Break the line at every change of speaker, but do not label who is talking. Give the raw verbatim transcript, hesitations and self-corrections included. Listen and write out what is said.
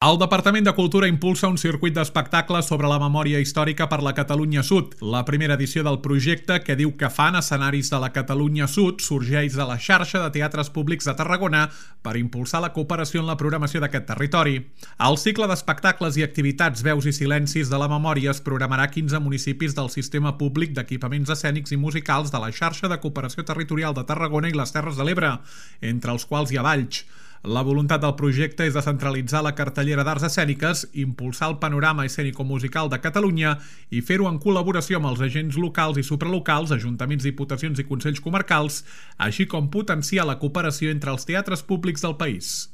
El Departament de Cultura impulsa un circuit d'espectacles sobre la memòria històrica per la Catalunya Sud. La primera edició del projecte, que diu que fan escenaris de la Catalunya Sud, sorgeix de la xarxa de teatres públics de Tarragona per impulsar la cooperació en la programació d'aquest territori. El cicle d'espectacles i activitats Veus i Silencis de la Memòria es programarà a quinze municipis del sistema públic d'equipaments escènics i musicals de la xarxa de cooperació territorial de Tarragona i les Terres de l'Ebre, entre els quals hi ha Valls. La voluntat del projecte és descentralitzar la cartellera d'arts escèniques, impulsar el panorama escènico-musical de Catalunya i fer-ho en col·laboració amb els agents locals i supralocals, ajuntaments, diputacions i consells comarcals, així com potenciar la cooperació entre els teatres públics del país.